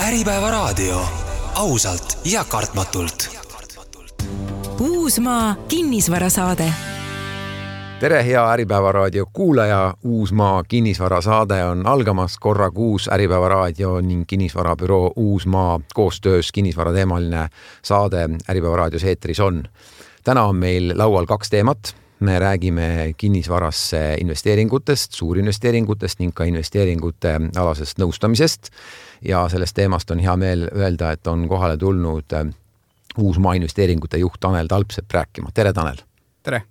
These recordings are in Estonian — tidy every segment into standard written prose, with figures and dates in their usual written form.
Äripäevaraadio. Ausalt ja kartmatult. Uusmaa kinnisvarasaade. Tere, hea Äripäevaraadio kuulaja. Uusmaa kinnisvarasaade on algamas korra kuus. Äripäevaraadio ning kinnisvarabüroo Uusmaa koostöös kinnisvarateemaline saade Äripäevaraadios eetris on. Täna on meil laual 2 teemat. Me räägime kinnisvarasse investeeringutest, suurinvesteeringutest ning ka investeeringute alasest nõustamisest. Ja sellest teemast on hea meel öelda, et on kohale tulnud Uusmaa investeeringute juht Tanel Talpsepp rääkima. Tere, Tanel! Tere!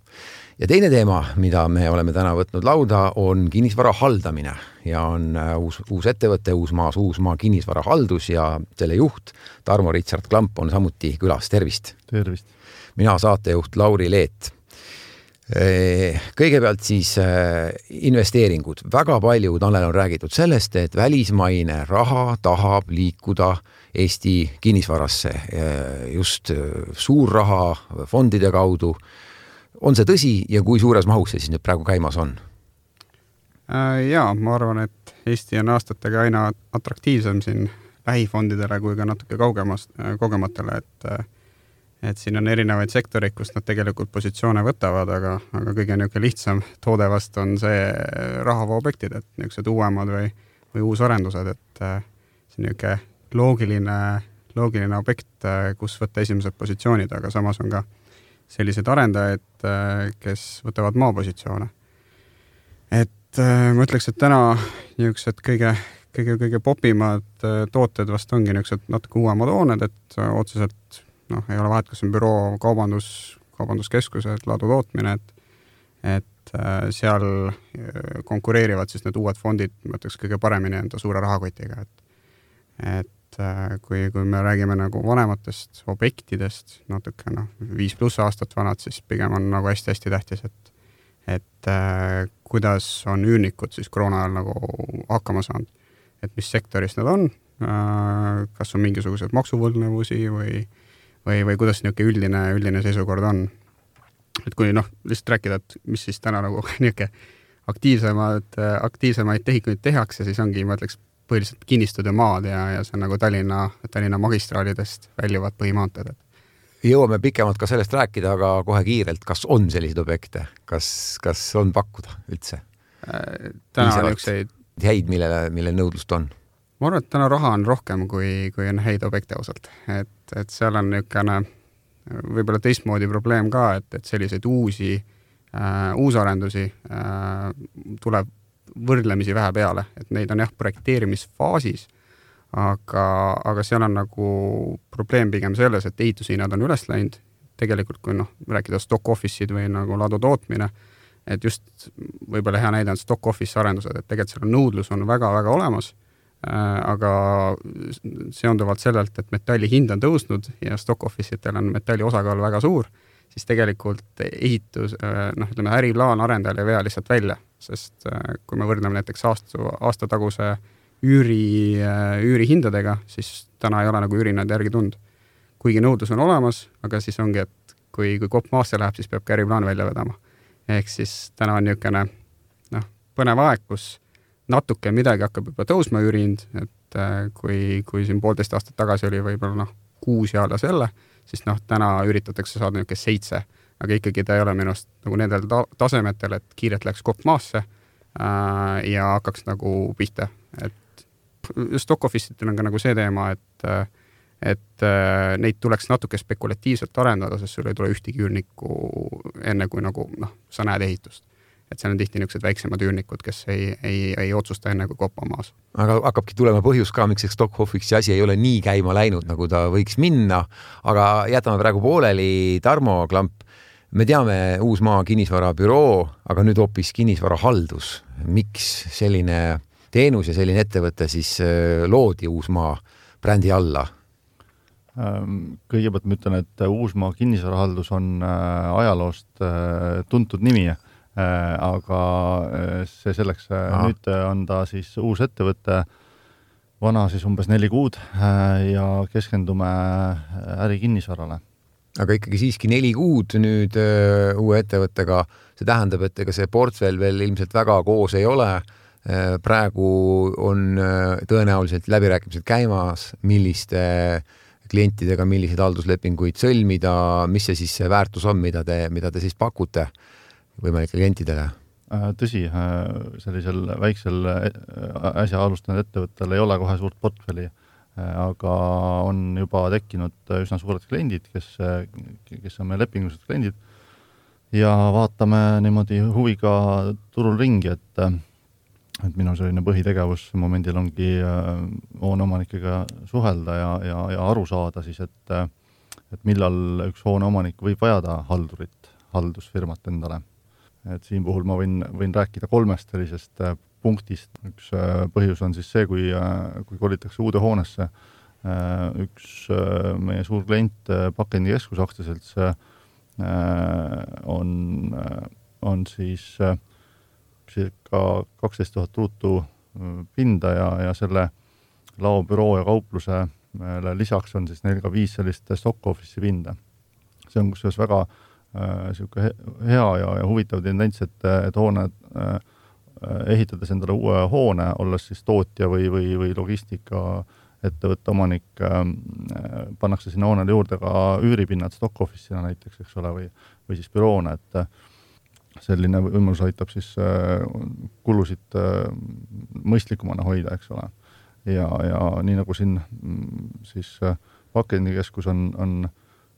Ja teine teema, mida me oleme täna võtnud lauda, on kinnisvara haldamine. Ja on uus ettevõte Uusmaa kinnisvara haldus ja selle juht Tarmo Richard Klamp on samuti külas. Tervist! Tervist! Mina saatejuht Lauri Leet. Kõigepealt siis investeeringud. Väga palju, Tanel, on räägitud sellest, et välismaine raha tahab liikuda Eesti kinnisvarasse. Just suur raha fondide kaudu. On see tõsi ja kui suures mahus see siis nüüd praegu käimas on? Jaa, ma arvan, et Eesti on aastatega aina atraktiivsem siin lähifondidele kui ka natuke kogematele, et siin on erinevaid sektoreid, kus nad tegelikult positsioone võtavad, aga kõige niisugune lihtsam toode vast on see rahavooobjektid, et niisugused uuemad või uusarendused, et see niisugune loogiline objekt, kus võtta esimesed positsioonid, aga samas on ka sellised arendajaid, kes võtavad maapositsioone. Et ma ütleks, et täna niisugused kõige popimad tooted vast ongi niisugused natuke uuemad hooned, et otseselt ei ole vahet, kas on büroo, kaubanduskeskused, ladutootmine, et seal konkureerivad siis need uued fondid, ma ütleks kõige paremini enda suure rahakotiga. Et kui me räägime nagu vanematest objektidest, natuke 5+ aastat vanad, siis pigem on nagu hästi-hästi tähtis, et kuidas on üürnikud siis koroona ajal nagu hakkama saanud, et mis sektoris nad on, kas on mingisugused maksuvõlgnevusi või kuidas niisugune üldine seisukord on. Et kui lihtsalt rääkida, et mis siis täna nagu niisugune aktiivsemaid tehikuid tehakse, siis ongi, ma ütleks, põhiliselt kinnistud ja maad ja see on nagu Tallinna magistraalidest väljuvad põhimaanteed. Jõuame pikemalt ka sellest rääkida, aga kohe kiirelt, kas on selliseid objekte? Kas on pakkuda üldse? Täna on niisuguseid häid, mille nõudlust on? Ma arvan, et täna raha on rohkem kui on häid objekte osalt. Et seal on niisugune võib-olla teistmoodi probleem ka, et selliseid uusarendusi tuleb võrdlemisi vähe peale. Et neid on projekteerimisfaasis, aga seal on nagu probleem pigem selles, et ehitushinnad on üles läinud. Tegelikult kui rääkida stock office'id või nagu ladu tootmine, et just võib-olla hea näide on stock office arendused, et tegelikult seal nõudlus on väga-väga olemas. Aga seonduvalt sellelt, et metalli hind on tõusnud ja stock office'itel on metalli osakaal väga suur, siis tegelikult äriplaan arendajal ei vea lihtsalt välja, sest kui me võrdleme näiteks aastataguse üüri hindadega, siis täna ei ole nagu üürinad järgi tund. Kuigi nõudlus on olemas, aga siis ongi, et kui kopp maasse läheb, siis peab ka äriplaan välja vedama. Ehk siis täna on niisugune põnev aeg, kus natuke midagi hakkab juba tõusma üürihind, et kui siin 1,5 aastat tagasi oli võib-olla 6 ja alla selle, siis täna üritatakse saada niisugune 7, aga ikkagi ta ei ole minust nagu nendel tasemetel, et kiirelt läks kopp maasse ja hakkaks nagu pihta. Et stock office'itel on ka nagu see teema, et neid tuleks natuke spekulatiivselt arendada, sest sul ei tule ühtegi üürnikku enne kui nagu sa näed ehitust. Et seal on tihti niisugused väiksemad üürnikud, kes ei otsusta enne kui kopa maas. Aga hakkabki tulema põhjus ka, miks stock office'i asi ei ole nii käima läinud, nagu ta võiks minna. Aga jätame praegu pooleli. Tarmo Klamp, me teame Uusmaa kinnisvarabüroo, aga nüüd hoopis kinnisvarahaldus. Miks selline teenus ja selline ettevõte siis loodi Uusmaa brändi alla? Kõigepealt ma ütlen, et Uusmaa kinnisvarahaldus on ajaloost tuntud nimi, aga see selleks nüüd on ta siis uus ettevõte, vana siis umbes 4 kuud ja keskendume ärikinnisvarale. Aga ikkagi siiski 4 kuud nüüd uue ettevõttega, see tähendab, et ega see portfell veel ilmselt väga koos ei ole. praegu on tõenäoliselt läbirääkimised käimas, milliste klientidega, milliseid halduslepinguid sõlmida, mis see siis see väärtus on, mida te siis pakute võimalikele klientidele? Tõsi, sellisel väiksel äsja alustanud ettevõttel ei ole kohe suurt portfelli, aga on juba tekkinud üsna suured kliendid, kes on meie lepingulised kliendid ja vaatame niimoodi huviga turul ringi, et minu selline põhitegevus momendil ongi hooneomanikega suhelda ja aru saada siis, et millal üks hooneomanik võib vajada haldusfirmat endale. Et siin puhul ma võin rääkida 3 sellisest punktist. Üks põhjus on siis see, kui kolitakse uude hoonesse. Üks meie suur klient Pakendikeskus aktsiaselts on siis circa 12 000 ruutu pinda ja selle laobüroo ja kauplusele lisaks on siis neil ka 5 sellist stock office'i pinda. See on kusjuures väga hea ja huvitav tendents, et hoone ehitades endale uue hoone, olles siis tootja või logistika ettevõtte omanik, pannakse sinna hoonele juurde ka üüripinnad stock office'ina näiteks, eks ole, või siis büroona, et selline võimalus aitab siis kulusid mõistlikumana hoida, eks ole. Ja nii nagu siin siis Pakendikeskus on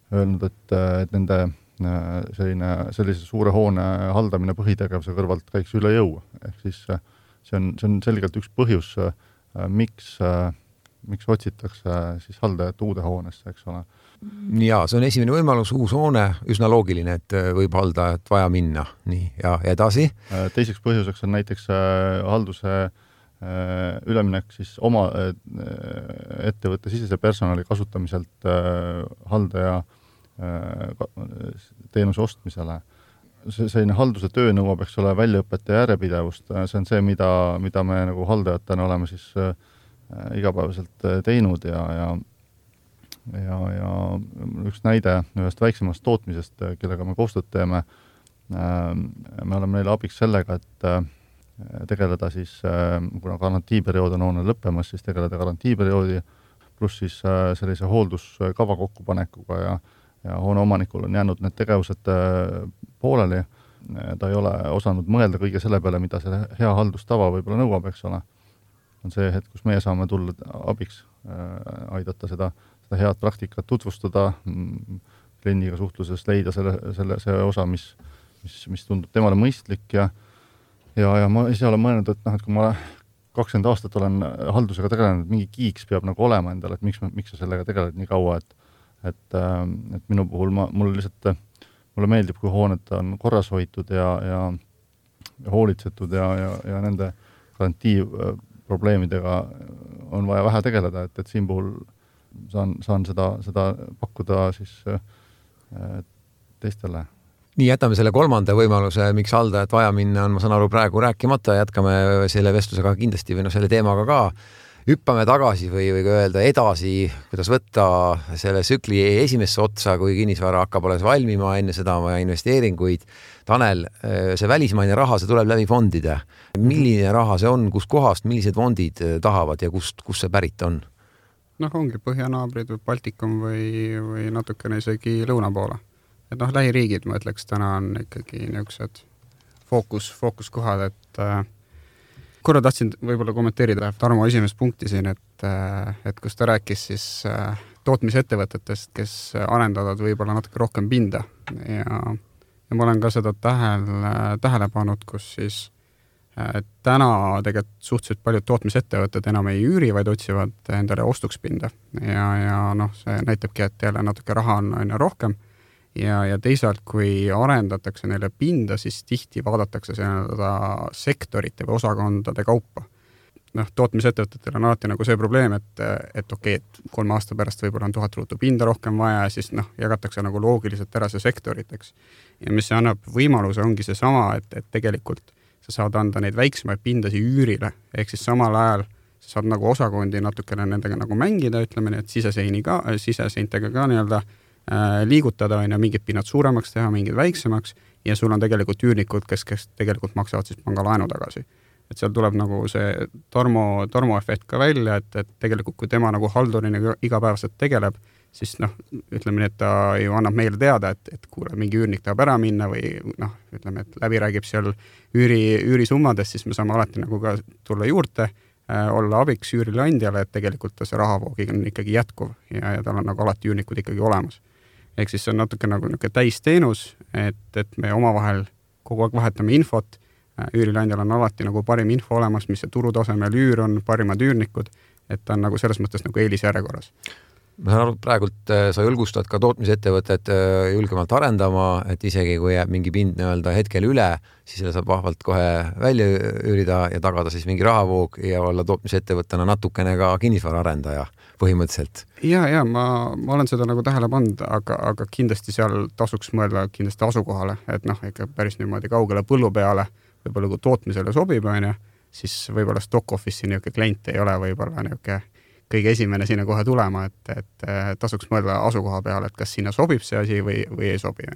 öelnud, et nende sellise suure hoone haldamine põhitegevuse kõrvalt käiks üle jõu. Ehk siis see on selgelt üks põhjus, miks otsitakse siis haldajat uude hoonesse, eks ole. Ja, see on esimene võimalus, uus hoone, üsna loogiline, et võib haldajat vaja minna. Nii, ja edasi? Teiseks põhjuseks on näiteks halduse üleminek siis oma ettevõtte sisese personali kasutamiselt haldaja teenuse ostmisele. Selline halduse töö nõuab, eks ole, väljaõpet ja järjepidevust. See on see, mida me nagu haldajatena oleme siis igapäevaselt teinud ja üks näide ühest väiksemast tootmisest, kellega me koostööd teeme. Me oleme neile abiks sellega, et tegeleda siis, kuna garantiiperiood on hoone lõppemas, siis tegeleda garantiiperioodi pluss siis sellise hoolduskava kokkupanekuga ja hoone omanikul on jäänud need tegevused pooleli. Ta ei ole osanud mõelda kõige selle peale, mida see hea haldustava võib-olla nõuab, eks ole. On see hetk, kus meie saame tulla abiks, aidata seda head praktikat tutvustada, kliendiga suhtluses leida see osa, mis tundub temale mõistlik ja ma ise olen mõelnud, et kui ma 20 aastat olen haldusega tegelenud, mingi kiiks peab nagu olema endale, et miks sa sellega tegeled nii kaua, et minu puhul mulle meeldib, kui hooned on korras hoitud ja hoolitsetud ja nende garantiiprobleemidega on vaja vähe tegeleda, et siin puhul saan seda pakkuda siis teistele. Nii, jätame selle 3. võimaluse, miks haldajat vaja minna on, ma saan aru, praegu rääkimata, jätkame selle vestlusega kindlasti või selle teemaga ka. Hüppame tagasi või öelda edasi, kuidas võtta selle tsükli esimesse otsa, kui kinnisvara hakkab alles valmima, enne seda vaja investeeringuid. Tanel, see välismaine raha, see tuleb läbi fondide. Milline raha see on, kus kohast, millised fondid tahavad ja kust see pärit on? Ongi põhjanaabrid või Baltikum või natukene isegi lõuna poole. Et lähiriigid, ma ütleks, täna on ikkagi niisugused fookuskohad, et korra tahtsin võib-olla kommenteerida Tarmo esimest punkti siin, et kus ta rääkis siis tootmisettevõtetest, kes arendavad võib-olla natuke rohkem pinda ja ma olen ka seda tähele pannud, kus siis täna tegelikult suhteliselt paljud tootmisettevõtted enam ei üüri, vaid otsivad endale ostuks pinda ja see näitabki, et jälle natuke raha on aina rohkem ja teisalt, kui arendatakse neile pinda, siis tihti vaadatakse seda sektorite või osakondade kaupa. Tootmisettevõtetel on alati nagu see probleem, et okei, et 3 aasta pärast võib-olla on 1000 ruutu pinda rohkem vaja ja siis jagatakse nagu loogiliselt ära see sektoriteks. Ja mis see annab võimaluse, ongi see sama, et tegelikult sa saad anda neid väiksemaid pindasi üürile, ehk siis samal ajal sa saad nagu osakondi natukene nendega nagu mängida, ütleme nii, et siseseintega ka nii-öelda liigutada ja mingid pinnad suuremaks teha, mingid väiksemaks ja sul on tegelikult üürnikud, kes tegelikult maksavad siis pangalaenu tagasi. et seal tuleb nagu see tormoefekt ka välja, et tegelikult kui tema nagu haldurina igapäevaselt tegeleb, siis ütleme nii, et ta ju annab meile teada, et kuule, mingi üürnik tahab ära minna või ütleme, et läbi räägib seal üürisummadest, siis me saame alati nagu ka tulla juurde, olla abiks üürileandjale, et tegelikult ta see rahavoog on ikkagi jätkuv ja tal on nagu alati üürnikud ikkagi olemas. Ehk siis see on natuke nagu täisteenus, et me omavahel kogu aeg vahetame infot, üürileandjal on alati nagu parim info olemas, mis see turutasemel üür on, parimad üürnikud, et ta on nagu selles mõttes nagu eelisjärjekorras. Ma saan aru, praegult sa julgustad ka tootmisettevõtet julgemalt arendama, et isegi kui jääb mingi pind hetkel üle, siis selle saab vahvalt kohe välja üürida ja tagada siis mingi rahavoog ja olla tootmisettevõttena natukene ka kinnisvaraarendaja põhimõtteliselt. Ja ma olen seda nagu tähele pannud, aga kindlasti seal tasuks mõelda kindlasti asukohale, et ikka päris niimoodi kaugele põllu peale, võib-olla kui tootmisele sobib, siis võib-olla stock office'i niisugune klient ei ole võib-olla niisugune kõige esimene sinna kohe tulema, et tasuks mõelda asukoha peale, et kas sinna sobib see asi või ei sobi.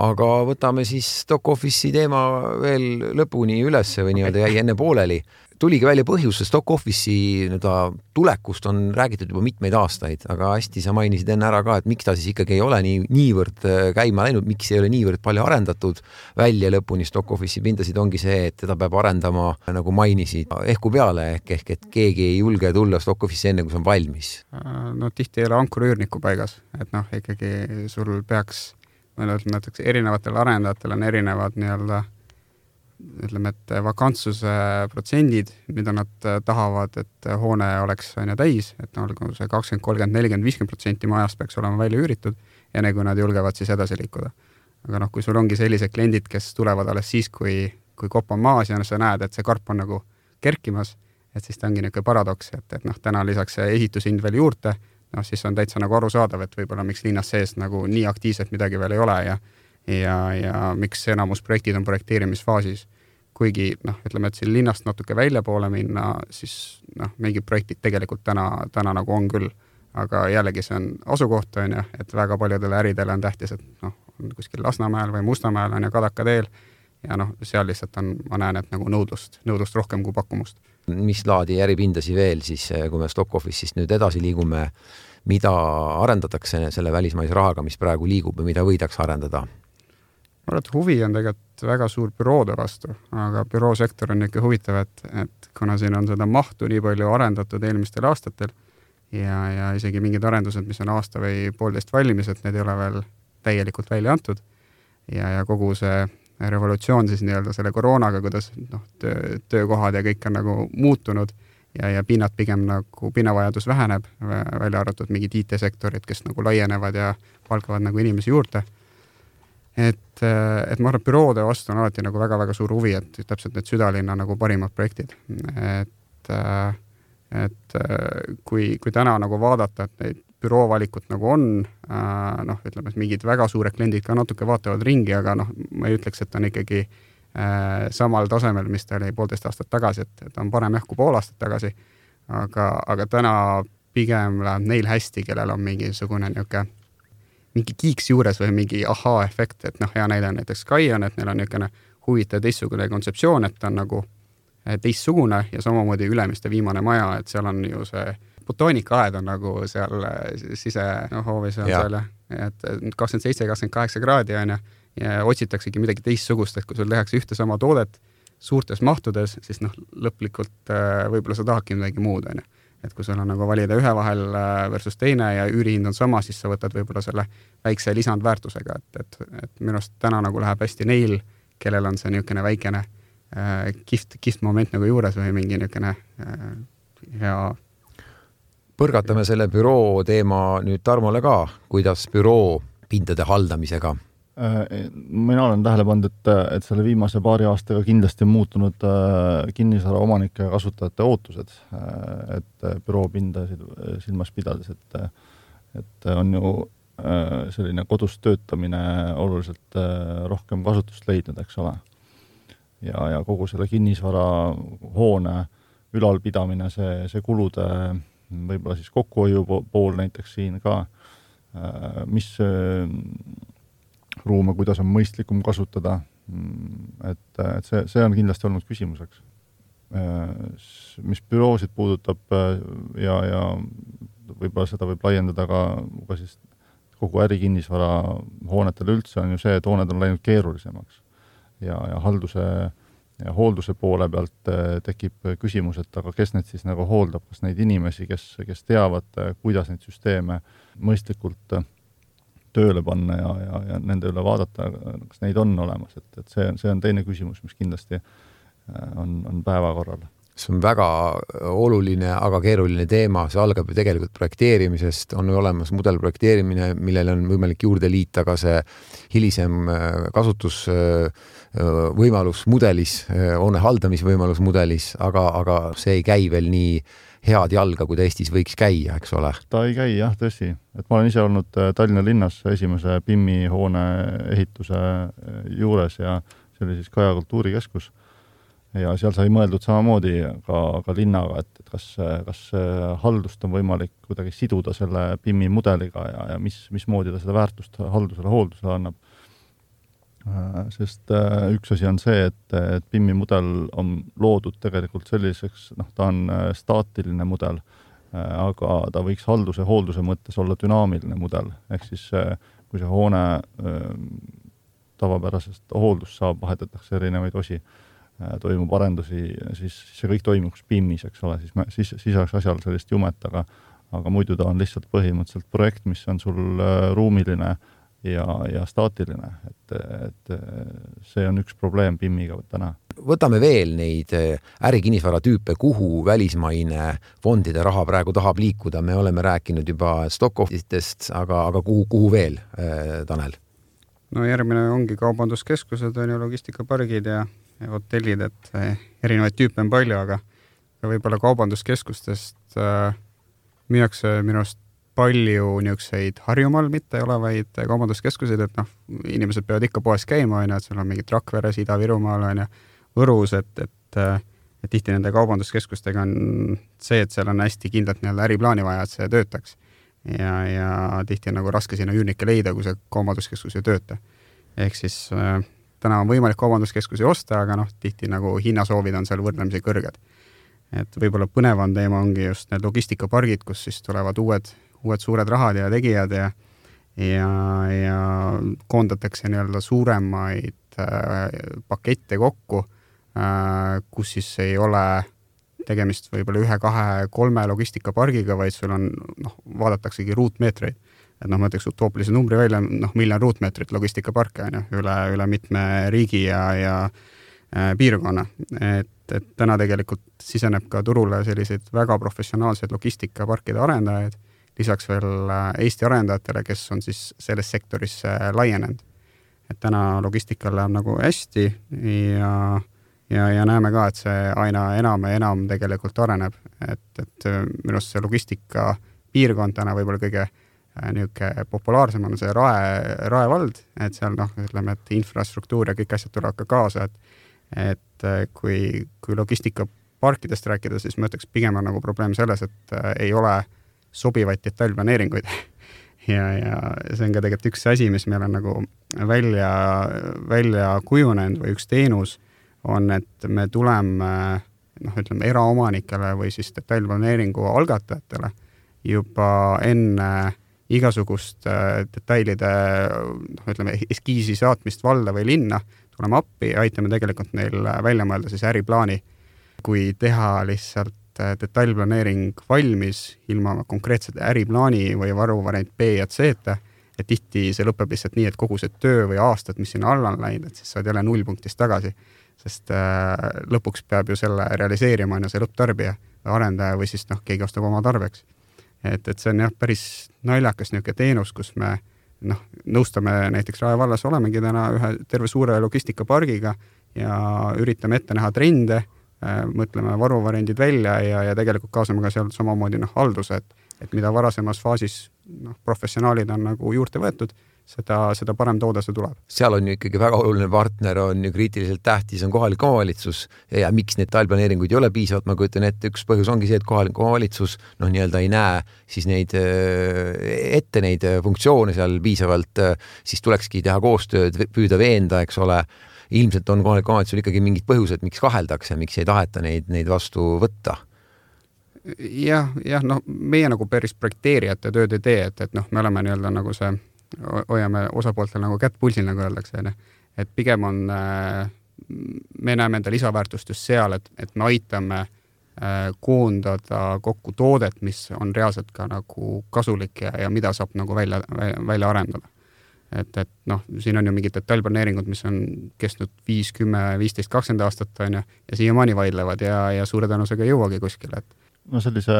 Aga võtame siis stock office'i teema veel lõpuni ülesse või jäi enne pooleli. Tuligi välja põhjus, stock office'i tulekust on räägitud juba mitmeid aastaid, aga hästi sa mainisid enne ära ka, et miks ta siis ikkagi ei ole niivõrd käima läinud, miks ei ole niivõrd palju arendatud välja lõpuni stock office'i pindasid, ongi see, et teda peab arendama, nagu mainisid, ehku peale, ehk et keegi ei julge tulla stock office'i enne, kui see on valmis. Tihti ei ole ankurüürniku paigas, et ikkagi sul peaks, näiteks erinevatel arendajatel on erinevad ütleme, et vakantsuse protsendid, mida nad tahavad, et hoone oleks täis, et see 20, 30, 40, 50% majast peaks olema välja üüritud, enne kui nad julgevad siis edasi liikuda. Aga kui sul ongi sellised kliendid, kes tulevad alles siis, kui kopp on maas ja sa näed, et see karp on nagu kerkimas, et siis ta ongi niisugune paradoks, et täna lisaks see ehitushind veel juurde, siis on täitsa nagu arusaadav, et võib-olla miks linnas sees nagu nii aktiivselt midagi veel ei ole ja miks enamus projektid on projekteerimisfaasis. Kuigi, ütleme, et siin linnast natuke välja poole minna, siis mingid projektid tegelikult täna nagu on küll. Aga jällegi see on asukoht, et väga paljudele äridele on tähtis, et on kuskil Lasnamäel või Mustamäel on Kadaka teel ja seal lihtsalt on, ma näen, et nagu nõudlust rohkem kui pakkumust. Mis laadi äripindasi veel siis, kui me stock office'ist nüüd edasi liigume, mida arendatakse selle välismaise rahaga, mis praegu liigub ja mida võidaks arendada? Ma arvan, et huvi on tegelikult väga suur büroode vastu, aga büroosektor on ikka huvitav, et kuna siin on seda mahtu nii palju arendatud eelmistel aastatel ja isegi mingid arendused, mis on aasta või poolteist valmis, et need ei ole veel täielikult välja antud ja kogu see revolutsioon siis selle koroonaga, kuidas töökohad ja kõik on nagu muutunud ja pinnavajadus väheneb, välja arvatud mingid IT-sektorid, kes nagu laienevad ja palkavad nagu inimesi juurde. Et ma arvan, büroode vastu on alati nagu väga-väga suur huvi, et täpselt need südalinna nagu parimad projektid. Et kui täna nagu vaadata, et neid büroovalikut nagu on, ütleme, et mingid väga suured kliendid ka natuke vaatavad ringi, aga ma ei ütleks, et on ikkagi samal tasemel, mis ta oli 1,5 aastat tagasi, et on parem kui pool aastat tagasi, aga täna pigem läheb neil hästi, kellel on mingisugune mingi kiiks juures või mingi ahaa-efekt, et hea näide on näiteks Sky on, et neil on niisugune huvitav teistsugune kontseptsioon, et ta on nagu teistsugune ja samamoodi Ülemiste viimane maja, et seal on ju see botoonikaaed on nagu seal sisehoovis on seal, et 27-28 kraadi on ja otsitaksegi midagi teistsugust, et kui sul tehakse ühte sama toodet suurtes mahtudes, siis lõplikult võib-olla sa tahadki midagi muud, on. Et kui sul on nagu valida ühe vahel versus teine ja üürihind on sama, siis sa võtad võib-olla selle väikse lisandväärtusega, et minu arust täna nagu läheb hästi neil, kellel on see niisugune väikene kihvt moment nagu juures või mingi niisugune hea. Põrgatame selle büroo teema nüüd Tarmole ka, kuidas büroo pindade haldamisega? Mina olen tähele pannud, et selle viimase paari aastaga kindlasti on muutunud kinnisvara omanike ja kasutajate ootused, et büroopindasid silmas pidades, et on ju selline kodus töötamine oluliselt rohkem kasutust leidnud, eks ole. Ja kogu selle kinnisvara hoone ülalpidamine, see kulude võib-olla siis kokkuhoiu pool näiteks siin ka, mis ruume, kuidas on mõistlikum kasutada, et see on kindlasti olnud küsimuseks. mis büroosid puudutab ja võib-olla seda võib laiendada ka siis kogu ärikinnisvara hoonetele üldse, on ju see, et hooned on läinud keerulisemaks ja halduse ja hoolduse poole pealt tekib küsimus, et aga kes need siis nagu hooldab, kas neid inimesi, kes teavad, kuidas neid süsteeme mõistlikult tööle panna ja nende üle vaadata, kas neid on olemas, et see on teine küsimus, mis kindlasti on päevakorral. See on väga oluline, aga keeruline teema, see algab ju tegelikult projekteerimisest, on ju olemas mudelprojekteerimine, millele on võimalik juurde liita ka see hilisem kasutusvõimalus mudelis, hoone haldamisvõimalus mudelis, aga see ei käi veel nii head jalga, kui ta Eestis võiks käia, eks ole? Ta ei käi, jah, tõsi. Et ma olen ise olnud Tallinna linnas esimese PIM-i hoone ehituse juures ja see oli siis Kaja kultuurikeskus. Ja seal sai mõeldud samamoodi ka linnaga, et kas haldust on võimalik kuidagi siduda selle PIM-i mudeliga ja mismoodi ta seda väärtust hooldusele annab. Sest üks asi on see, et PIM-i mudel on loodud tegelikult selliseks, ta on staatiline mudel, aga ta võiks hoolduse mõttes olla dünaamiline mudel. Ehk siis, kui see hoone tavapärasest hooldust saab, vahetatakse erinevaid osi, toimub arendusi, siis see kõik toimuks PIM-is, eks ole, siis oleks asjal sellist jumet, aga muidu ta on lihtsalt põhimõtteliselt projekt, mis on sul ruumiline ja staatiline, et see on üks probleem PIM-iga täna. Võtame veel neid ärikinnisvara tüüpe, kuhu välismaine fondide raha praegu tahab liikuda. Me oleme rääkinud juba Stockhoffitest, aga kuhu veel, Tanel? No järgmine ongi kaubanduskeskused, on ju logistikapargid ja hotellid, et erinevaid tüüpe on palju, aga võib-olla kaubanduskeskustest müüakse minust palju niisuguseid Harjumaal mitte olevaid kaubanduskeskuseid, et inimesed peavad ikka poes käima, et seal on mingid Rakveres, Ida-Virumaal on ja Võrus, et tihti nende kaubanduskeskustega on see, et seal on hästi kindlalt äriplaani vaja, et see töötaks. Ja tihti on nagu raske sinna üürnikke leida, kui see kaubanduskeskus ei tööta. Ehk siis täna on võimalik kaubanduskeskusi osta, aga tihti nagu hinnasoovid on seal võrdlemisi kõrged. Et võib-olla põnevam teema ongi just need logistikapargid, kus siis tulevad uued suured rahad ja tegijad ja koondatakse suuremaid pakette kokku, kus siis ei ole tegemist võib-olla 1, 2, 3 logistikapargiga, vaid sul on, vaadataksegi ruutmeetreid. Et ma ütleks utoopilise numbri välja, 1 miljon ruutmeetrit logistikaparke on ju, üle mitme riigi ja piirkonna. Et täna tegelikult siseneb ka turule selliseid väga professionaalseid logistikaparkide arendajaid, lisaks veel Eesti arendajatele, kes on siis selles sektoris laienenud. Et täna logistikal läheb nagu hästi ja näeme ka, et see aina enam ja enam tegelikult areneb. Et minust see logistika piirkond täna võib-olla kõige populaarsem on see Rae vald, et seal ütleme, et infrastruktuur ja kõik asjad tulevad ka kaasa, et kui logistikaparkidest rääkida, siis ma ütleks pigem on nagu probleem selles, et ei ole sobivaid detailplaneeringuid ja see on ka tegelikult üks asi, mis meil on nagu välja kujunenud või üks teenus on, et me tuleme ütleme eraomanikele või siis detailplaneeringu algatajatele juba enne igasugust detailide ütleme eskiisi saatmist valda või linna, tuleme appi ja aitame tegelikult neil välja mõelda siis äriplaani, kui teha lihtsalt detailplaneering valmis ilma konkreetsete äriplaani või varuvariant B ja C, et tihti see lõpeb lihtsalt nii, et kogu see töö või aastad, mis sinna alla on läinud, et siis saad jälle nullpunktist tagasi, sest lõpuks peab ju selle realiseerima see lõpptarbija või arendaja või siis keegi ostab oma tarbeks. Et see on päris naljakas niisugune teenus, kus me nõustame näiteks Rae vallas olemegi täna ühe terve suure logistikapargiga ja üritame ette näha trende, mõtleme varuvariandid välja ja tegelikult kaasame ka seal samamoodi halduse, et mida varasemas faasis professionaalid on nagu juurde võetud, seda parem toode see tuleb. Seal on ju ikkagi väga oluline partner, on ju kriitiliselt tähtis, on kohalik omavalitsus ja miks need detailplaneeringuid ei ole piisavalt, ma kujutan ette, üks põhjus ongi see, et kohalik omavalitsus nii-öelda ei näe siis neid funktsioone seal piisavalt, siis tulekski teha koostööd, püüda veenda, eks ole, ilmselt on kohalik omavalitsusel ikkagi mingid põhjused, miks kaheldakse, miks ei taheta neid vastu võtta. Jah, noh, meie nagu päris projekteerijate tööd ei tee, et noh, me oleme nii-öelda nagu see, hoiame osapooltel nagu kätt pulsil, nagu öeldakse, et pigem on, me näeme enda lisaväärtust just seal, et me aitame koondada kokku toodet, mis on reaalselt ka nagu kasulik ja mida saab nagu välja arendada. Et noh, siin on ju mingid detailplaneeringud, mis on kestnud 5, 10, 15, 20 aastat on ja siiamaani vaidlevad ja suure tõenäosusega ei jõuagi kuskile. No sellise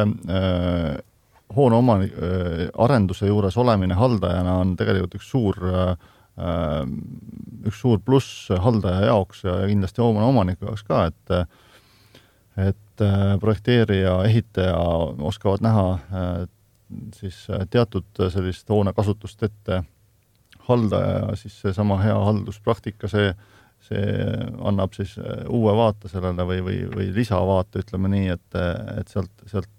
hoone arenduse juures olemine haldajana on tegelikult üks suur pluss haldaja jaoks ja kindlasti omaniku jaoks ka, et projekteerija, ehitaja oskavad näha siis teatud sellist hoone kasutust ette haldaja ja siis seesama hea halduspraktika, see annab siis uue vaate sellele või lisavaate, ütleme nii, et sealt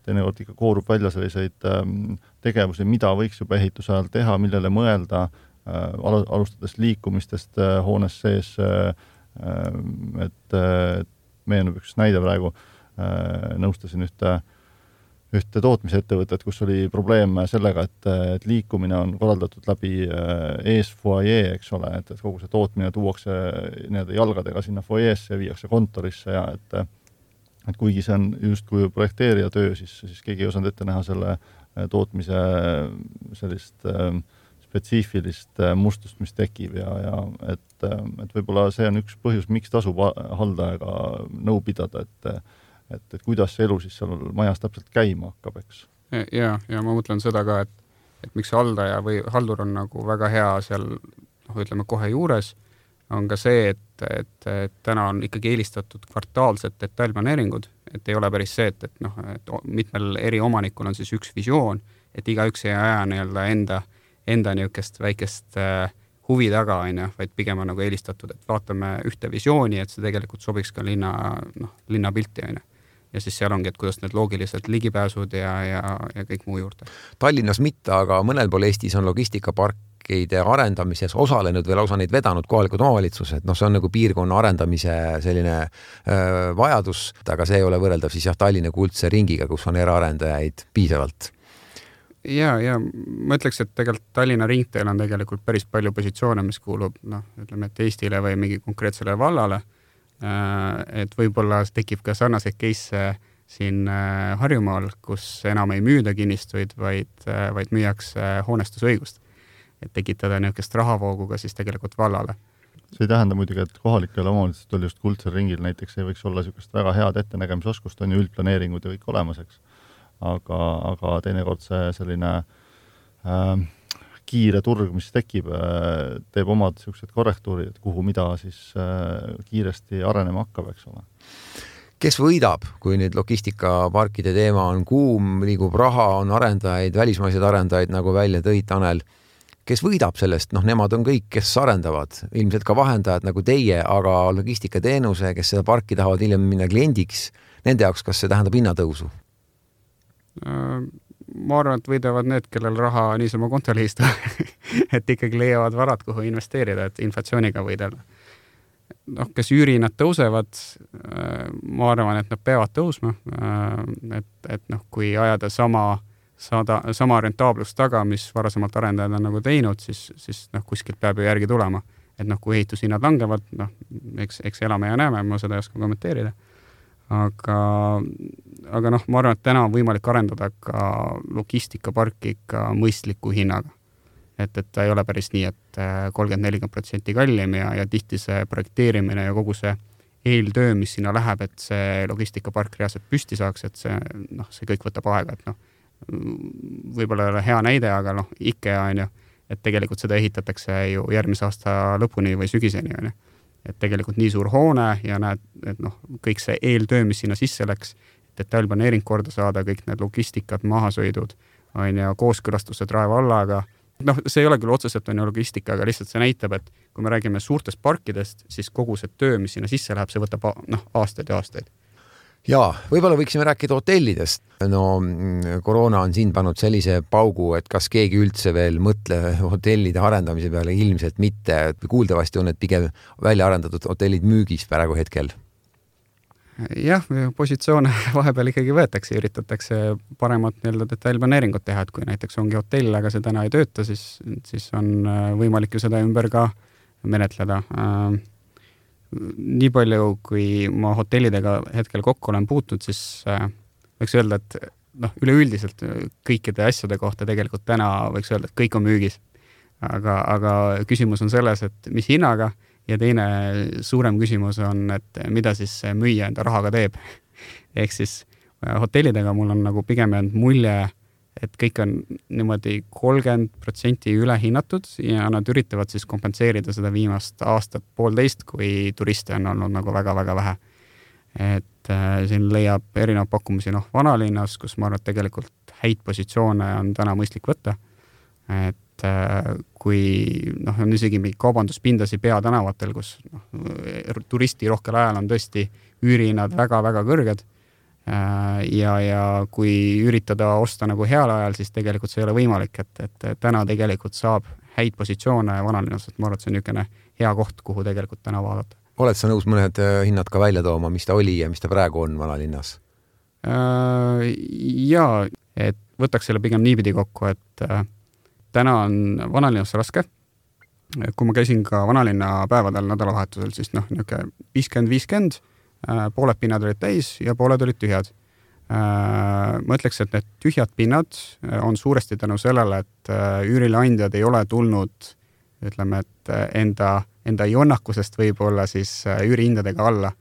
teinekord ikka koorub välja selliseid tegevusi, mida võiks juba ehituse ajal teha, millele mõelda, alustades liikumistest hoones sees, et meenub üks näide praegu, nõustasin ühte tootmisettevõtet, kus oli probleem sellega, et liikumine on korraldatud läbi ees foajee, eks ole, et kogu see tootmine tuuakse jalgadega sinna foajeesse ja viiakse kontorisse ja et kuigi see on justkui projekteerija töö, siis keegi ei osanud ette näha selle tootmise sellist spetsiifilist mustust, mis tekib ja et võib-olla see on üks põhjus, miks tasub haldajaga nõu pidada, et kuidas see elu siis seal majas täpselt käima hakkab, eks. Ja ma mõtlen seda ka, et miks haldaja või haldur on nagu väga hea seal, ütleme kohe juures, on ka see, et täna on ikkagi eelistatud kvartaalsed detailplaneeringud, et ei ole päris see, et mitmel eri omanikul on siis üks visioon, et igaüks ei aja nii-öelda enda niisugust väikest huvi taga, vaid pigem on nagu eelistatud, et vaatame ühte visiooni, et see tegelikult sobiks ka linna pilti, ja siis seal ongi, et kuidas need loogilised ligipääsud ja kõik muu juurde. Tallinnas mitte, aga mõnel pool Eestis on logistikaparkide arendamises osalenud või lausa neid vedanud kohalikud omavalitsused. See on nagu piirkonna arendamise selline vajadus, aga see ei ole võrreldav siis Tallinna kuldse ringiga, kus on eraarendajaid piisavalt. Ja ma ütleks, et tegelikult Tallinna ringteel on tegelikult päris palju positsioone, mis kuulub, ütleme, et Eestile või mingi konkreetsele vallale, et võib-olla tekib ka sarnaseid case siin Harjumaal, kus enam ei müüda kinnistuid, vaid müüakse hoonestusõigust, et tekitada niisugust rahavoogu ka siis tegelikult vallale. See ei tähenda muidugi, et kohalikel omavalitsustel just kuldsel ringil näiteks ei võiks olla niisugust väga head ettenägemisoskust, on ju üldplaneeringud ja kõik olemas, eks. Aga teinekord see selline kiire turg, mis tekib, teeb omad sellised korrektuurid, kuhu mida siis kiiresti arenema hakkab, eks ole. Kes võidab, kui nüüd logistikaparkide teema on kuum, liigub raha, on arendajaid, välismaised arendajaid, nagu välja tõid Tanel. Kes võidab sellest? Nemad on kõik, kes arendavad, ilmselt ka vahendajad nagu teie, aga logistikateenuse, kes seda parki tahavad hiljem minna kliendiks, nende jaoks, kas see tähendab hinnatõusu? Ma arvan, et võidavad need, kellel raha niisama kontole istu, et ikkagi leiavad varad, kuhu investeerida, et inflatsiooniga võidelda. Kes üürihinnad tõusevad, ma arvan, et nad peavad tõusma, et kui ajada sama rentaablust taga, mis varasemalt arendajad on nagu teinud, siis kuskilt peab ju järgi tulema. Et kui ehitushinnad langevad, eks elame ja näeme, ma seda ei oska kommenteerida. Aga ma arvan, et täna on võimalik arendada ka logistikaparki ka mõistliku hinnaga. Et ta ei ole päris nii, et 30-40% kallim ja tihti see projekteerimine ja kogu see eeltöö, mis sinna läheb, et see logistikapark reaalselt püsti saaks, et see kõik võtab aega, et võib-olla ei ole hea näide, aga IKEA on ju, et tegelikult seda ehitatakse ju järgmise aasta lõpuni või sügiseni on ju. Et tegelikult nii suur hoone ja näed, et kõik see eeltöö, mis sinna sisse läks, detailplaneering korda saada, kõik need logistikad, mahasõidud, on ja kooskõlastused Raevallaga. See ei ole küll otseselt on ju logistika, aga lihtsalt see näitab, et kui me räägime suurtest parkidest, siis kogu see töö, mis sinna sisse läheb, see võtab aastaid ja aastaid. Jaa, võib-olla võiksime rääkida hotellidest. No koroona on siin pannud sellise paugu, et kas keegi üldse veel mõtle hotellide arendamise peale, ilmselt mitte. Kuuldavasti on need pigem välja arendatud hotellid müügis praegu hetkel. Jah, positsioone vahepeal ikkagi võetakse, üritatakse paremat detailplaneeringut teha, et kui näiteks ongi hotell, aga see täna ei tööta, siis on võimalik ju seda ümber ka menetleda. Nii palju, kui ma hotellidega hetkel kokku olen puutnud, siis võiks öelda, et üleüldiselt kõikide asjade kohta tegelikult täna võiks öelda, et kõik on müügis. Aga küsimus on selles, et mis hinnaga, ja teine suurem küsimus on, et mida siis müüja enda rahaga teeb. Ehk siis hotellidega mul on nagu pigem jäänud mulje, et kõik on niimoodi 30% ülehinnatud ja nad üritavad siis kompenseerida seda viimast aastat poolteist, kui turiste on olnud nagu väga-väga vähe. Et siin leiab erinev pakkumusi vanalinnas, kus ma arvan, et tegelikult häid positsioone on täna mõistlik võtta. Et kui on isegi mingi kaubanduspindasi peatänavatel, kus turisti rohkel ajal on tõesti üürihinnad väga-väga kõrged ja kui üritada osta nagu heal ajal, siis tegelikult see ei ole võimalik, et täna tegelikult saab häid positsioone vanalinnas, et ma arvan, et see on niisugune hea koht, kuhu tegelikult täna vaadata. Oled sa nõus mõned hinnad ka välja tooma, mis ta oli ja mis ta praegu on vanalinnas? Jaa, et võtaks selle pigem niipidi kokku, et täna on vanalinnas raske. Kui ma käisin ka vanalinna päevadel nädalavahetusel, siis 50-50, pooled pinnad olid täis ja pooled olid tühjad. Ma ütleks, et need tühjad pinnad on suuresti tänu sellele, et üürileandjad ei ole tulnud, ütleme, et enda jonnakusest võib-olla siis üürihindadega alla.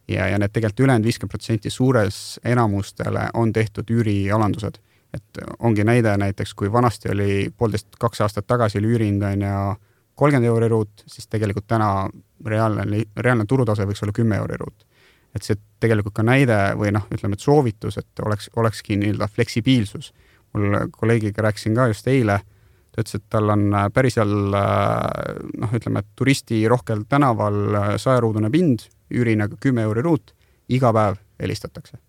Ja need tegelikult ülejäänud 50% suures enamustele on tehtud üürialandused. Et ongi näide näiteks, kui vanasti oli 1,5-2 aastat tagasi oli üürihind ja 30 euri ruut, siis tegelikult täna reaalne turutase võiks olla 10 euri ruut. Et see tegelikult ka näide või ütleme, et soovitus, et olekski fleksibiilsus. Mul kolleegiga rääkisin ka just eile, ta ütles, et tal on päris seal, ütleme, et turisti rohkel tänaval 100-ruudune pind, üürihinnaga 10 euri ruut, iga päev helistatakse.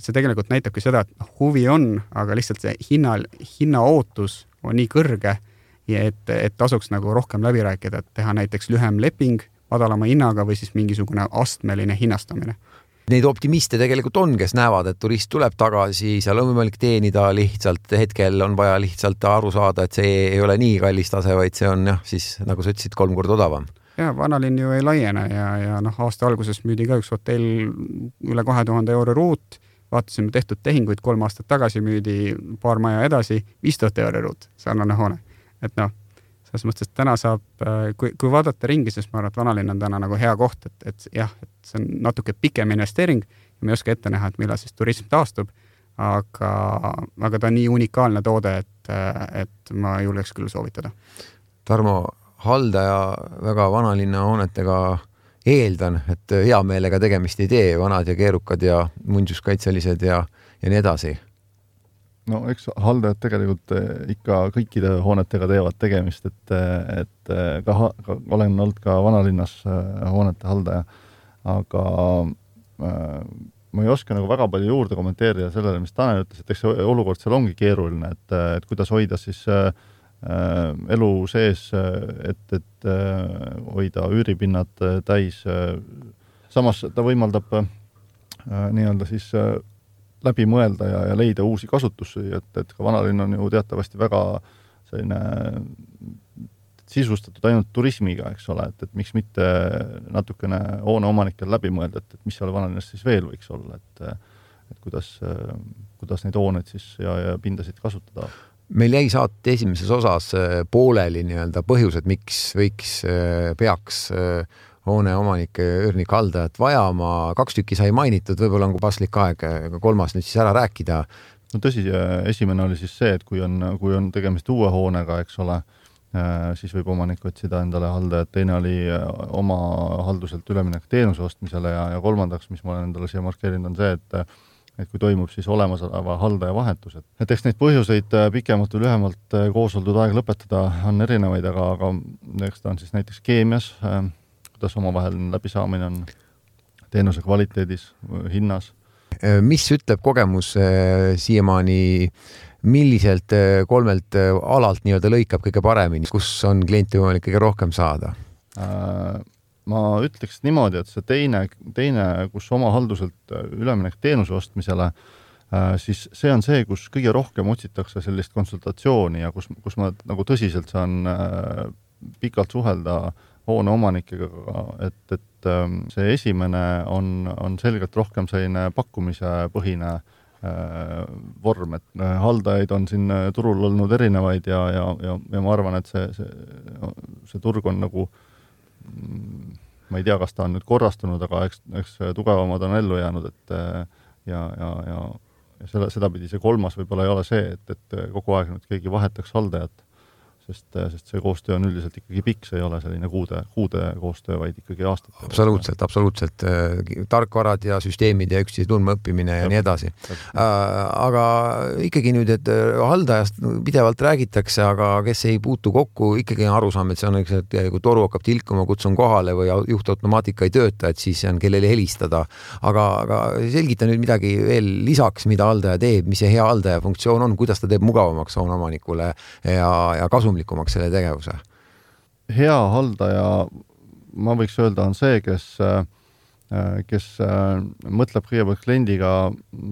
See tegelikult näitabki seda, et huvi on, aga lihtsalt see hinna ootus on nii kõrge, et tasuks nagu rohkem läbi rääkida, et teha näiteks lühem leping madalama hinnaga või siis mingisugune astmeline hinnastamine. Neid optimiste tegelikult on, kes näevad, et turist tuleb tagasi, seal on võimalik teenida lihtsalt, hetkel on vaja lihtsalt aru saada, et see ei ole nii kallis tase, vaid see on siis, nagu sa ütlesid, 3 korda odavam. Ja vanalinn ju ei laiene ja aasta alguses müüdi ka üks hotell üle 2000 euro ruut, vaatasime tehtud tehinguid 3 aastat tagasi, müüdi paar maja edasi 5000 euro ruut, sarnane hoone. Et selles mõttes, et täna saab, kui vaadata ringi, siis ma arvan, et vanalinn on täna nagu hea koht, et see on natuke pikem investeering ja me ei oska ette näha, et millal siis turism taastub, aga ta on nii unikaalne toode, et ma julgeks küll soovitada. Tarmo, haldaja väga vanalinna hoonetega eeldan, et hea meelega tegemist ei tee, vanad ja keerukad ja muinsuskaitselised ja nii edasi. No eks haldajad tegelikult ikka kõikide hoonetega teevad tegemist, et olen olnud ka vanalinnas hoonete haldaja, aga ma ei oska nagu väga palju juurde kommenteerida sellele, mis Tanel ütles, et eks see olukord seal ongi keeruline, et kuidas hoida siis elu sees, et hoida üüripinnad täis. Samas ta võimaldab nii-öelda siis läbi mõelda ja leida uusi kasutusi, et ka vanalinn on ju teatavasti väga selline sisustatud ainult turismiga, eks ole, et miks mitte natukene hoone omanikel läbi mõelda, et mis seal vanalinnas siis veel võiks olla, et kuidas neid hooneid siis ja pindasid kasutada. Meil jäi saate esimeses osas pooleli nii-öelda põhjused, miks peaks hoone omanike üürnik haldajat vajama. 2 tükki sai mainitud, võib-olla on paslik aeg 3 nüüd siis ära rääkida. No tõsi, esimene oli siis see, et kui on tegemist uue hoonega, eks ole, siis võib omanik otsida endale haldajat. Teine oli oma halduselt üleminek teenuse ostmisele ja kolmandaks, mis ma olen endale siia markeerinud, on see, et kui toimub siis olemasoleva haldaja vahetus. Et eks neid põhjuseid pikemalt või lühemalt koos oldud aeg lõpetada on erinevaid, aga eks ta on siis näiteks keemias, kuidas omavahel läbisaamine on teenuse kvaliteedis, hinnas, Mis ütleb kogemus siiamaani, milliselt kolmelt alalt nii-öelda lõikab kõige paremini, kus on klienti võimalik kõige rohkem saada? Ma ütleks niimoodi, et see teine, kus oma halduselt üleminek teenuse ostmisele, siis see on see, kus kõige rohkem otsitakse sellist konsultatsiooni ja kus ma nagu tõsiselt saan pikalt suhelda hoone omanikega, et see esimene on selgelt rohkem selline pakkumise põhine vorm, et haldajaid on siin turul olnud erinevaid ja ma arvan, et see turg on nagu, ma ei tea, kas ta on nüüd korrastunud, aga eks tugevamad on ellu jäänud, et ja sedapidi see kolmas võib-olla ei ole see, et kogu aeg nüüd keegi vahetaks haldajat, sest see koostöö on üldiselt ikkagi pikk, see ei ole selline kuude koostöö, vaid ikkagi aastate. Absoluutselt. Tarkvarad ja süsteemid ja üksteise tundma õppimine ja nii edasi. Aga ikkagi nüüd, et haldajast pidevalt räägitakse, aga kes ei puutu kokku, ikkagi on arusaam, et see on üks, et kui toru hakkab tilkuma, kutsun kohale või juhtautomaatika ei tööta, et siis on kellele helistada. Aga selgita nüüd midagi veel lisaks, mida haldaja teeb, mis see hea haldaja funktsioon on, kuidas ta teeb mugavamaks hooneomanikule ja kasumlikumaks selle tegevuse? Hea haldaja, ma võiks öelda, on see, kes mõtleb kõigepealt kliendiga,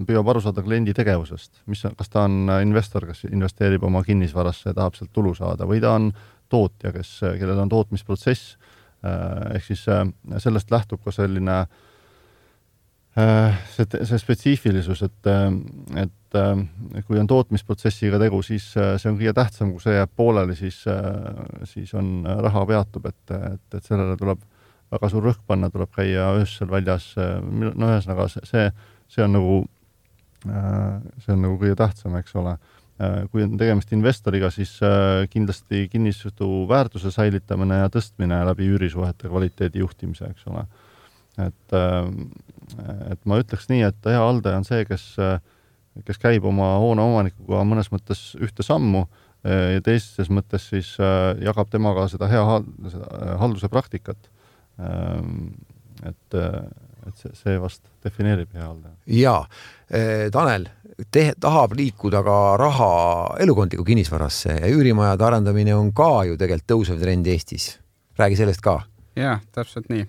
püüab aru saada kliendi tegevusest. Kas ta on investor, kes investeerib oma kinnisvarasse ja tahab sealt tulu saada, või ta on tootja, kellel on tootmisprotsess. Ehk siis sellest lähtub ka selline see spetsiifilisus, et kui on tootmisprotsessiga tegu, siis see on kõige tähtsam, kui see jääb pooleli, siis on raha peatub, et sellele tuleb väga suur rõhk panna, tuleb käia öösel väljas. No ühesõnaga, see on nagu kõige tähtsam, eks ole. Kui on tegemist investoriga, siis kindlasti kinnistu väärtuse säilitamine ja tõstmine läbi üürisuhete kvaliteedi juhtimise, eks ole. Et ma ütleks nii, et hea haldaja on see, kes käib oma hoone omanikuga mõnes mõttes ühte sammu ja teises mõttes siis jagab temaga seda hea halduse praktikat. Et see vast defineerib hea haldaja. Jaa, Tanel tahab liikuda ka raha elukondliku kinnisvarasse ja üürimajade arendamine on ka ju tegelikult tõusev trend Eestis. Räägi sellest ka. Jaa, täpselt nii.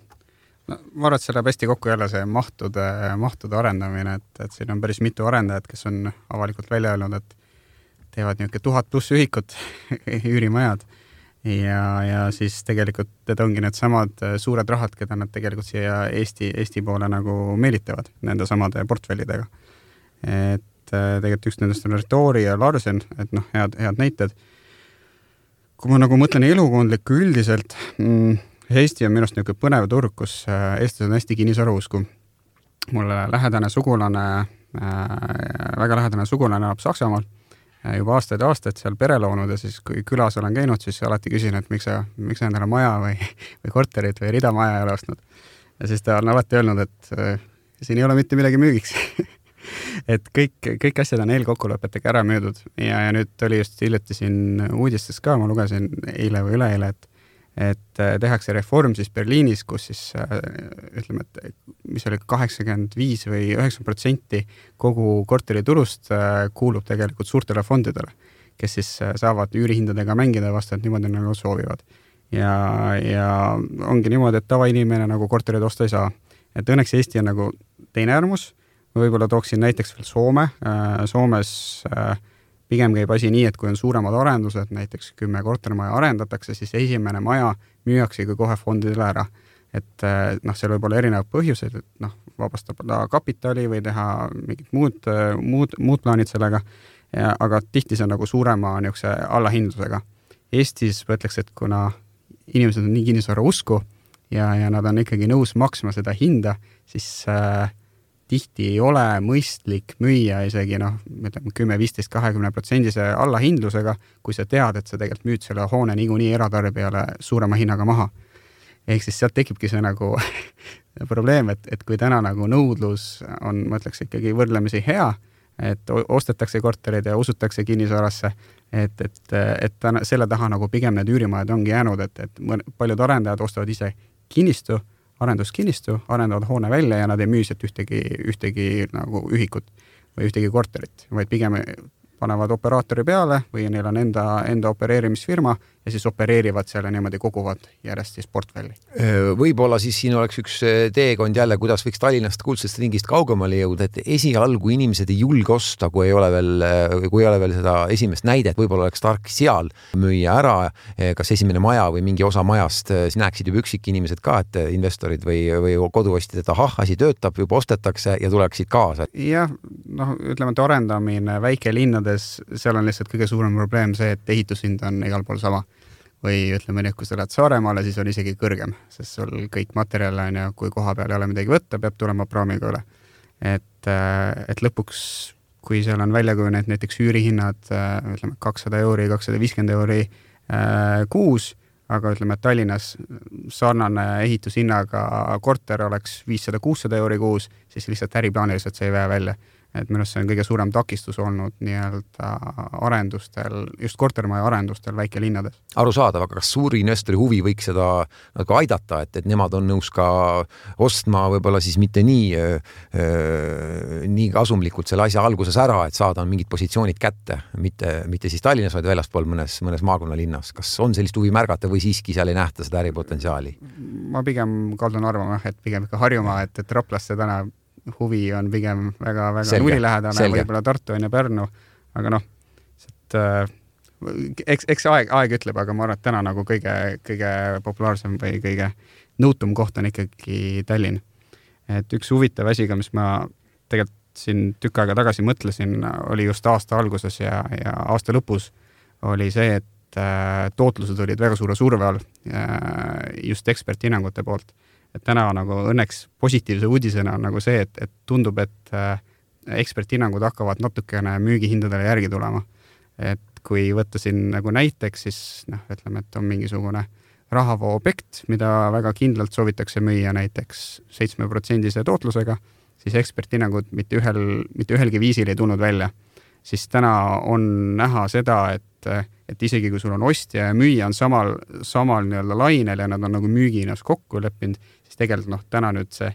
Ma arvan, et see läheb hästi kokku jälle see mahtude arendamine, et siin on päris mitu arendajat, kes on avalikult välja öelnud, et teevad niisugune 1000+ ühikut üürimajad ja siis tegelikult need ongi need samad suured rahad, keda nad tegelikult siia Eesti poole nagu meelitavad nende samade portfellidega. Et tegelikult üks nendest on Retoori ja Larsen, et head näited. Kui ma nagu mõtlen elukondlikku üldiselt, Eesti on minust niisugune põnev turg, kus eestlased on hästi kinnisvarausku. Mulle väga lähedane sugulane elab Saksamaal juba aastaid seal pere loonud ja siis kui külas olen käinud, siis alati küsin, et miks sa endale maja või korterit või ridamaja ei ole ostnud. Ja siis ta on alati öelnud, et siin ei ole mitte midagi müügiks. Et kõik asjad on eelkokkulepetega ära müüdud ja nüüd oli just hiljuti siin uudistes ka, ma lugesin eile või üleeile, et tehakse reform siis Berliinis, kus siis ütleme, et mis oli 85 või 90% kogu korteriturust kuulub tegelikult suurtele fondidele, kes siis saavad üürihindadega mängida vastavalt niimoodi, nagu soovivad. Ja ongi niimoodi, et tavainimene nagu korterid osta ei saa. Et õnneks Eesti on nagu teine äärmus. Ma võib-olla tooksin näiteks veel Soome. Soomes pigem käib asi nii, et kui on suuremad arendused, näiteks 10 kortermaja arendatakse, siis esimene maja müüakse kohe fondidele ära. Et seal võib olla erinevad põhjused, et vabastab kapitali või teha mingid muud plaanid sellega, aga tihti see on nagu suurema niisuguse allahindlusega. Eestis võtleks, et kuna inimesed on nii kinnisvara usku ja nad on ikkagi nõus maksma seda hinda, siis tihti ei ole mõistlik müüa isegi 10, 15, 20% allahindlusega, kui sa tead, et sa tegelikult müüd selle hoone niikuinii eratarbijale suurema hinnaga maha. Ehk siis sealt tekibki see nagu probleem, et kui täna nagu nõudlus on, ma ütleks, ikkagi võrdlemisi hea, et ostetakse korterid ja usutakse kinnisvarasse, et selle taha nagu pigem need üürimajad ongi jäänud, et paljud arendajad ostavad ise kinnistu, arenduskinnistu, arendavad hoone välja ja nad ei müü sealt ühtegi nagu ühikut või ühtegi korterit, vaid pigem panevad operaatori peale või neil on enda opereerimisfirma ja siis opereerivad seal ja niimoodi koguvad järjest siis portfelli. Võib-olla siis siin oleks üks teekond jälle, kuidas võiks Tallinnast kuldsest ringist kaugemale jõuda, et esialgu inimesed ei julge osta, kui ei ole veel seda esimest näidet, võib-olla oleks tark seal müüa ära, kas esimene maja või mingi osa majast, siis näeksid juba üksikinimesed ka, et investorid või koduostjad, et ahah, asi töötab, juba ostetakse ja tuleksid kaasa. Jah, ütleme, et arendamine väikelinnades, seal on lihtsalt kõige suurem probleem see, et ehitushind on igal pool sama. Või ütleme nii, kui sa lähed Saaremaale, siis on isegi kõrgem, sest sul kõik materjal on ja kui koha peal ei ole midagi võtta, peab tulema praamiga üle. Et lõpuks, kui seal on välja kujunenud näiteks üürihinnad, ütleme 200 euri, 250 euri kuus, aga ütleme, et Tallinnas sarnane ehitushinnaga korter oleks 500-600 euri kuus, siis lihtsalt äriplaaniliselt see ei vää välja. Et minu arust see on kõige suurem takistus olnud nii-öelda arendustel, just kortermaja arendustel väikelinnades. Arusaadav, aga kas suuri investori huvi võiks seda nagu aidata, et nemad on nõus ka ostma võib-olla siis mitte nii kasumlikult selle asja alguses ära, et saada mingid positsioonid kätte, mitte siis Tallinnas, vaid väljaspool mõnes maakonnalinnas. Kas on sellist huvi märgata või siiski seal ei nähta seda äripotentsiaali? Ma pigem kaldun arvama, et pigem ikka Harjumaa, et Raplasse täna huvi on pigem väga nulilähedane, võib-olla Tartu on ja Pärnu, aga eks aeg ütleb, aga ma arvan, et täna nagu kõige populaarsem või kõige nõutum koht on ikkagi Tallinn. Et üks huvitav asi, mis ma tegelikult siin tükk aega tagasi mõtlesin, oli just aasta alguses ja aasta lõpus oli see, et tootlused olid väga suure surve all just eksperthinnangute poolt. Et täna nagu õnneks positiivse uudisena on nagu see, et tundub, et eksperthinnangud hakkavad natukene müügihindadele järgi tulema. Et kui võtta siin nagu näiteks, siis ütleme, et on mingisugune rahavoo objekt, mida väga kindlalt soovitakse müüa näiteks 7% tootlusega, siis eksperthinnangud mitte ühelgi viisil ei tulnud välja. Siis täna on näha seda, et isegi kui sul on ostja ja müüja on samal nii-öelda lainel ja nad on nagu müügihinnas kokku leppinud, siis tegelikult täna nüüd see,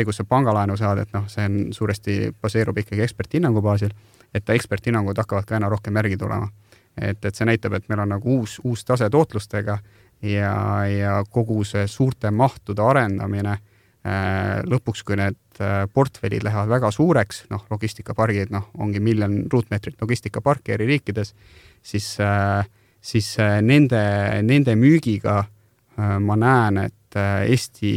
kus sa pangalaenu saad, et see on suuresti baseerub ikkagi eksperthinnangu baasil, et eksperthinnangud hakkavad ka aina rohkem järgi tulema. Et see näitab, et meil on nagu uus tase tootlustega ja kogu see suurte mahtude arendamine lõpuks, kui need portfellid lähevad väga suureks, logistikapargid, ongi 1 miljon ruutmeetrit logistikaparki eri riikides, siis nende müügiga ma näen, et Eesti,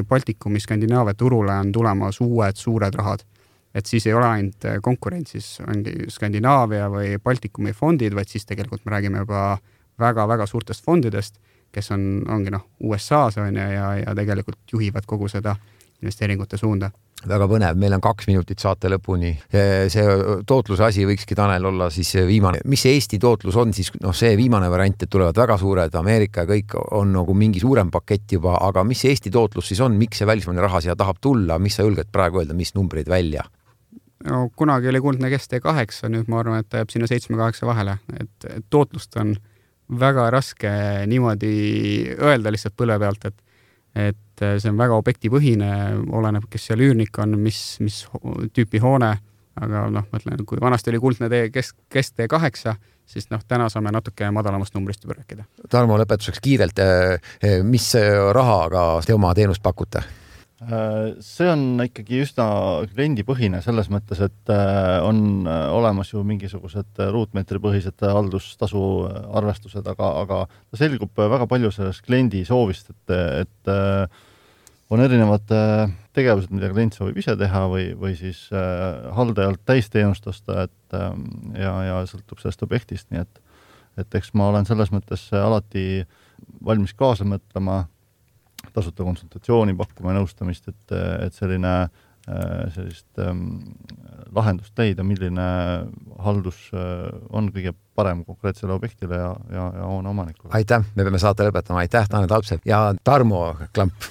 Baltikumi, Skandinaavia turule on tulemas uued suured rahad. Et siis ei ole ainult konkurentsis ongi Skandinaavia või Baltikumi fondid, vaid siis tegelikult me räägime juba väga-väga suurtest fondidest, kes ongi USA-s ja tegelikult juhivad kogu seda investeeringute suunda. Väga põnev, meil on 2 minutit saate lõpuni. See tootluse asi võikski, Tanel, olla siis viimane. Mis see Eesti tootlus on siis? See viimane variant, et tulevad väga suured, Ameerika ja kõik on nagu mingi suurem pakett juba, aga mis see Eesti tootlus siis on? Miks see välismaine raha siia tahab tulla? Mis sa julged praegu öelda, mis numbreid välja? Kunagi oli kuldne kest 8, nüüd ma arvan, et ta jääb sinna 7-8 vahele. Et tootlust on väga raske niimoodi öelda lihtsalt põlve pealt, et see on väga objektipõhine, oleneb, kes seal üürnik on, mis tüüpi hoone, aga mõtlen, kui vanasti oli kuldne kest 8, siis täna saame natuke madalamast numbrist juba rääkida. Tarmo, lõpetuseks kiirelt, mis rahaga te oma teenust pakute? See on ikkagi üsna kliendipõhine selles mõttes, et on olemas ju mingisugused ruutmeetripõhised haldustasu arvestused, aga ta selgub väga palju sellest kliendi soovist, et on erinevad tegevused, mida klient soovib ise teha või siis haldajalt täisteenust osta, ja sõltub sellest objektist, nii et eks ma olen selles mõttes alati valmis kaasa mõtlema, tasuta konsultatsiooni pakkuma ja nõustamist, et sellist lahendust leida, milline haldus on kõige parem konkreetsele objektile ja hoone omanikule. Aitäh, me peame saate lõpetama. Aitäh, Tanel Talpsepp ja Tarmo Klamp.